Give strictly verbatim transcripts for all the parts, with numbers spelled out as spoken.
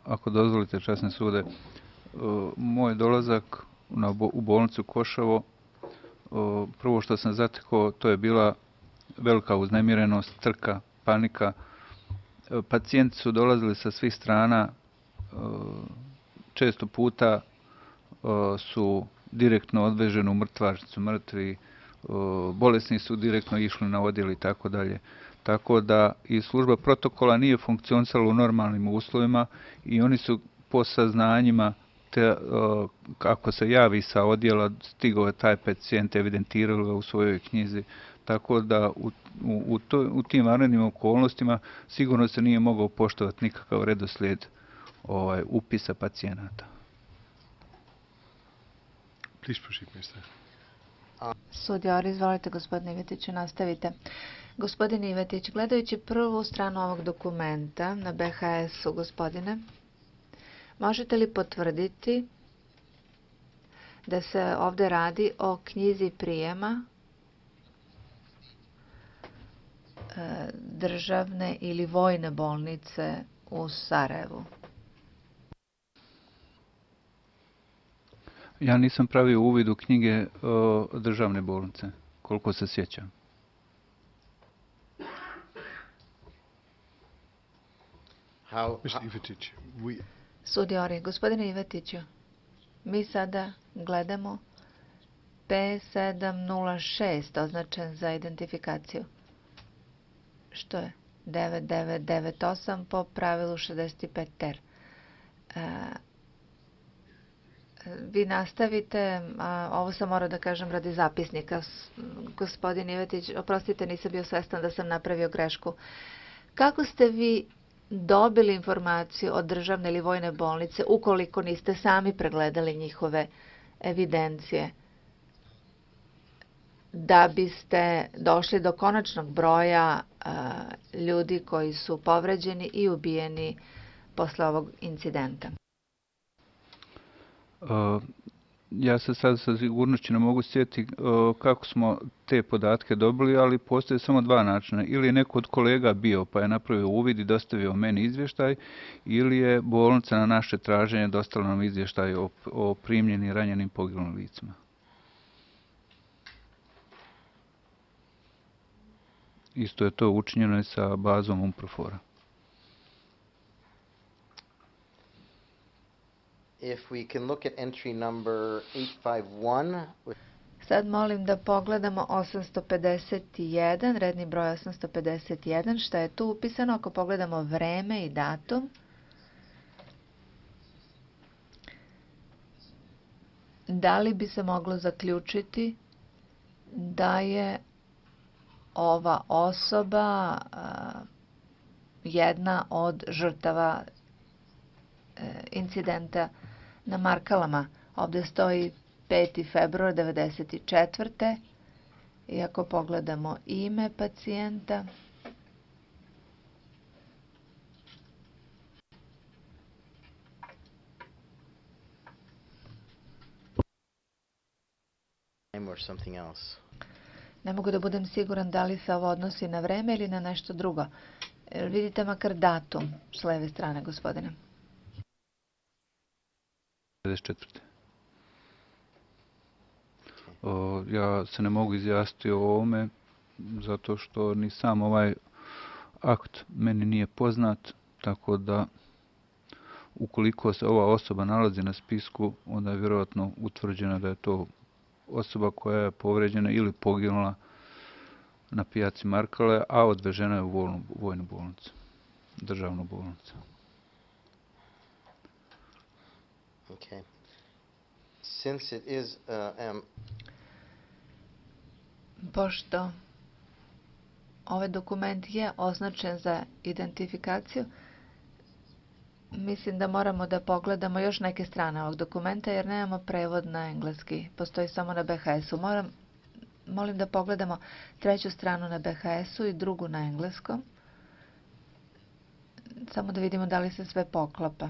ako dozvolite, časne sude, moj dolazak na, u bolnicu Koševo, prvo što sam zatekao, to je bila velika uznemirenost, trka, panika. Pacijenti su dolazili sa svih strana, često puta su direktno odveženi u mrtvačnicu, mrtvi, bolesni su direktno išli na odjel i tako dalje. Tako da i služba protokola nije funkcionisala u normalnim uslovima i oni su po saznanjima, te, ako se javi sa odjela, stigao je taj pacijent, evidentirali ga u svojoj knjizi. Tako da u, u, to, u tim vanrednim okolnostima sigurno se nije mogao poštovati nikakav redoslijed ovaj, upisa pacijenata. Sudija, izvolite, gospodine Ivetiću, nastavite. Gospodine Ivetić, gledajući prvu stranu ovog dokumenta na B H S-u, gospodine, možete li potvrditi da se ovdje radi o knjizi prijema državne ili vojne bolnice u Sarajevu? Ja nisam pravio uvid u knjige o, državne bolnice, koliko se sjećam. Sudijori, gospodine Ivetiću, mi sada gledamo P sedam nula šest označen za identifikaciju. Što je? devet devet devet osam po pravilu šezdeset pet ter. E, vi nastavite, a ovo sam morao da kažem radi zapisnika. Gospodin Ivetić, oprostite, nisam bio svestan da sam napravio grešku. Kako ste vi dobili informaciju od državne ili vojne bolnice ukoliko niste sami pregledali njihove evidencije, da biste došli do konačnog broja a, ljudi koji su povređeni i ubijeni posle ovog incidenta? Uh, ja se sad sa sigurnošću ne mogu sjetiti uh, kako smo te podatke dobili, ali postoje samo dva načina. Ili je neko od kolega bio pa je napravio uvid i dostavio meni izvještaj, ili je bolnica na naše traženje dostavila nam izvještaj o, o primljenim, ranjenim, poginulim licima. Isto je to učinjeno i sa bazom UNPROFOR-a. If we can look at entry number eight five one. Sad molim da pogledamo osamsto pedeset jedan, redni broj osamsto pedeset jedan, šta je tu upisano. Ako pogledamo vreme i datum, da li bi se moglo zaključiti da je ova osoba a, jedna od žrtava e, incidenta na Markalama? Ovdje stoji peti februar devedeset četvrte. I ako pogledamo ime pacijenta, Or something else. Ne mogu da budem siguran da li se ovo odnosi na vreme ili na nešto drugo. Vidite makar datum s leve strane, gospodine. devedeset četvrte. O, ja se ne mogu izjasniti o ovome zato što ni sam ovaj akt meni nije poznat, tako da ukoliko se ova osoba nalazi na spisku, onda je vjerojatno utvrđeno da je to osoba koja je povređena ili poginula na pijaci Markale, a odvežena je u vojnu, vojnu bolnicu, državnu bolnicu. Okay. Since it is uh, um... Pošto ovaj dokument je označen za identifikaciju, mislim da moramo da pogledamo još neke strane ovog dokumenta, jer nemamo prevod na engleski. Postoji samo na B H S-u. Moram, molim da pogledamo treću stranu na B H S-u i drugu na engleskom. Samo da vidimo da li se sve poklapa.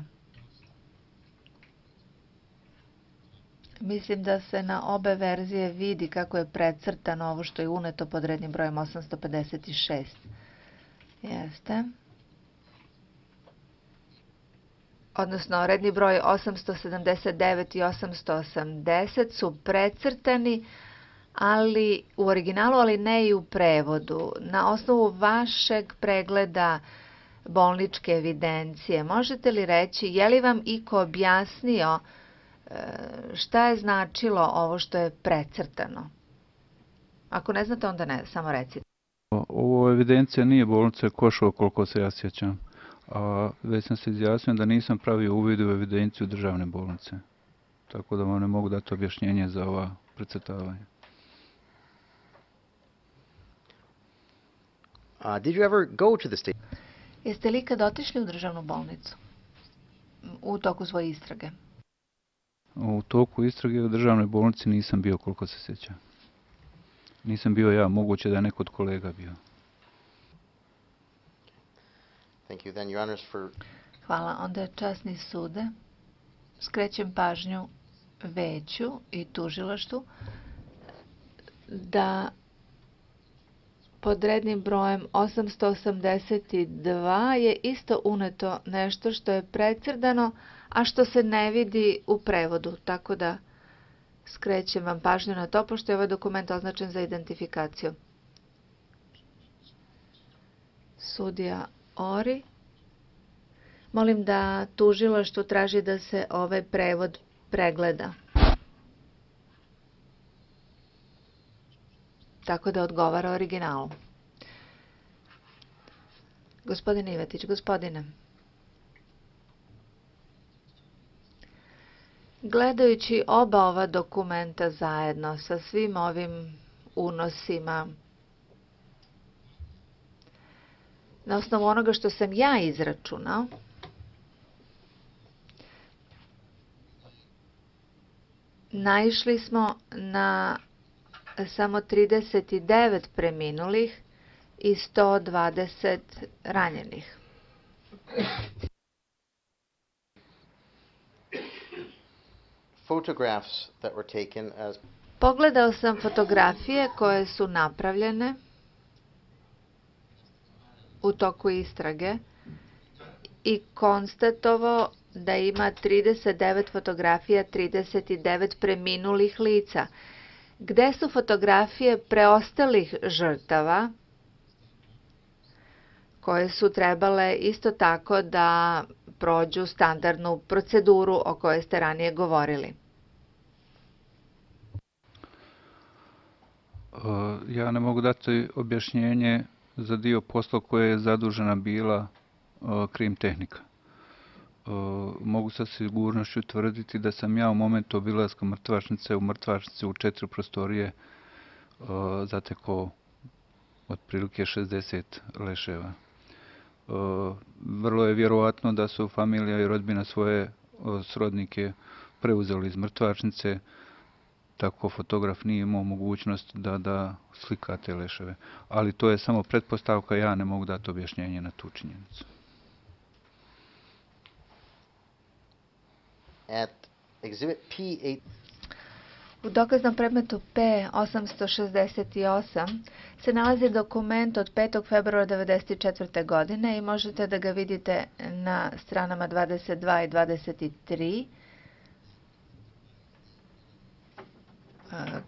Mislim da se na obe verzije vidi kako je precrtano ovo što je uneto pod rednim brojem osamsto pedeset šest. Jeste. odnosno redni broj osamsto sedamdeset devet i osamsto osamdeset su precrtani, ali u originalu, ali ne i u prevodu. Na osnovu vašeg pregleda bolničke evidencije, možete li reći, je li vam iko objasnio šta je značilo ovo što je precrtano? Ako ne znate, onda ne, samo recite. Ovo evidencija nije bolnice Košovo, koliko se ja sjećam. A već sam se izjasnio da nisam pravio uvid u evidenciju državne bolnice. Tako da vam ne mogu dati objašnjenje za ova precrtavanja. Uh, did you ever go to the state? Jeste li ikad otišli u državnu bolnicu u toku svoje istrage? U toku istrage u državnoj bolnici nisam bio, koliko se sjećam. Nisam bio ja, moguće da je neko od kolega bio. Thank you. Then, Your Honors, for... Hvala. Onda je časni sude. Skrećem pažnju veću i tužilaštvu da pod rednim brojem osamsto osamdeset dva je isto uneto nešto što je precrtano, a što se ne vidi u prevodu. Tako da skrećem vam pažnju na to, pošto je ovaj dokument označen za identifikaciju. Sudija Ori. Molim da tužilaštvo traži da se ovaj prevod pregleda. Tako da odgovara originalu. Gospodin Ivetić, gospodine. Gledajući oba ova dokumenta zajedno sa svim ovim unosima, na osnovu onoga što sam ja izračunao, naišli smo na samo trideset devet preminulih i sto dvadeset ranjenih. Photographs that were taken as... Pogledao sam fotografije koje su napravljene u toku istrage i konstatovao da ima trideset devet fotografija, trideset devet preminulih lica. Gde su fotografije preostalih žrtava koje su trebale isto tako da prođu standardnu proceduru o kojoj ste ranije govorili? Ja ne mogu dati objašnjenje za dio posla koje je zadužena bila krim tehnika. Mogu sa sigurnošću tvrditi da sam ja u momentu obilaska mrtvačnice u mrtvačnici u četiri prostorije zatekao otprilike šezdeset leševa. Vrlo je vjerovatno da su familija i rodbina svoje srodnike preuzeli iz mrtvačnice, tako fotograf nije imao mogućnost da, da slika te leševe. Ali to je samo pretpostavka, ja ne mogu dati objašnjenje na tu činjenicu. At exhibit P eight... U dokaznom predmetu P osamsto šezdeset osam se nalazi dokument od petog februara devedeset četvrte. godine i možete da ga vidite na stranama dvadeset dva i dvadeset tri,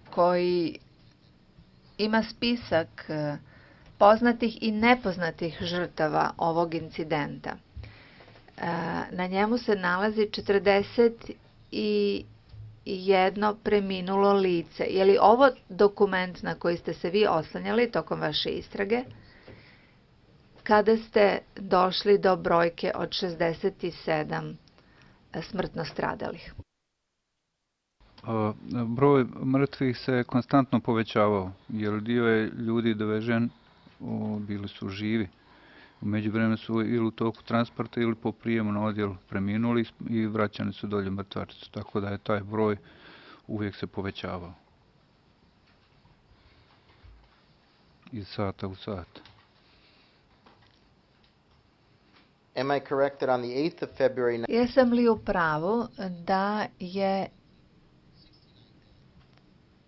koji ima spisak poznatih i nepoznatih žrtava ovog incidenta. Na njemu se nalazi četrdeset jedno preminulo lice. Je li ovo dokument na koji ste se vi oslanjali tokom vaše istrage kada ste došli do brojke od šezdeset sedam smrtno stradalih? Broj mrtvih se konstantno povećavao, jer dio je ljudi dovežen, bili su živi. U međuvremenu su ili u toku transporta ili po prijemu na odjel preminuli i vraćani su dolje mrtvačicu, tako da je taj broj uvijek se povećavao. Iz sata u sat. Am I correct that on the eighth of February... Jesam li u pravu da je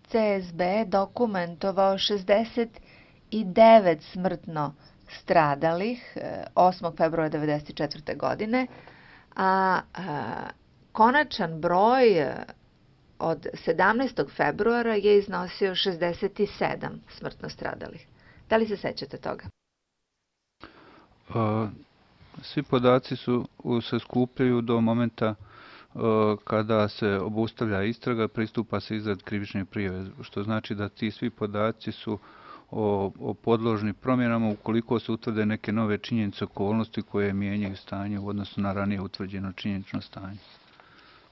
C S B dokumentovao šezdeset devet smrtno stradalih osmog februara devedeset četvrte. godine, a, a konačan broj od sedamnaestog februara je iznosio šezdeset sedam smrtno stradalih. Da li se sećate toga? A, svi podaci su se skupljaju do momenta kada se obustavlja istraga, pristupa se izradi krivične prijave, što znači da ti svi podaci su o, o podložni promjenama ukoliko se utvrde neke nove činjenice, okolnosti koje mijenjaju stanje u odnosu na ranije utvrđeno činjenično stanje.